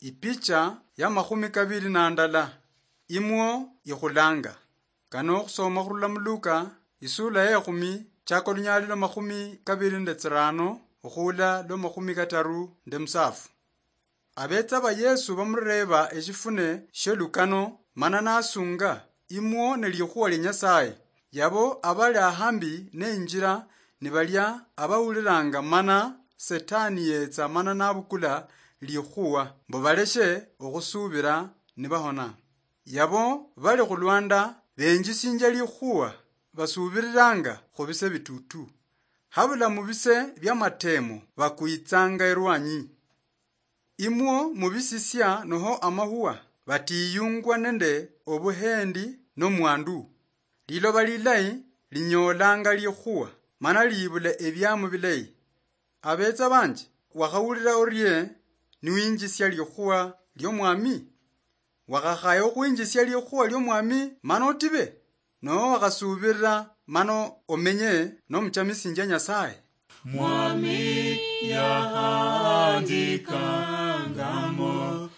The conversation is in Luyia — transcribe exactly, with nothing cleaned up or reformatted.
Ipicha ya makhumi kabili na ndala, imwo ikhulanga. Kano okhusoma khurula mu Luka, isula ya ekhumi, chaka olunyali lwa makhumi kabili nende tsirano, okhuula lwa makhumi kataru nende musafu. Abetsa ba Yesu bamureeba eshifune shiolukano, mana nasunga, imwo ne likhuwa lia Nyasaye. Yabo abali ahambi ne injira nibalia abawuliranga, mana Setani yetsa mana nabukula likhuwa, mbu baleshe okhusubira nibahona. Yabo bali khulwanda benjisinjia likhuwa, basubiriranga khubise bitutu. Habula mubise bia matemo bakwitsanga erwanyi. Imwo mubisisia noho amahuwa, batiyungwa nende obuhendi nomwandu. Liloba lilayi linyolanga likhuwa, mana libula ebiamu bilayi. Abetsa banje, wakhawulira orie niwinjisia likhuwa liomwami? Wakhakhaya okhwinjisia likhuwa liomwami mana otibe? Noho wakhasubirira mana omenye nomuchamisinjia Nyasaye? Mwami yahandikangamo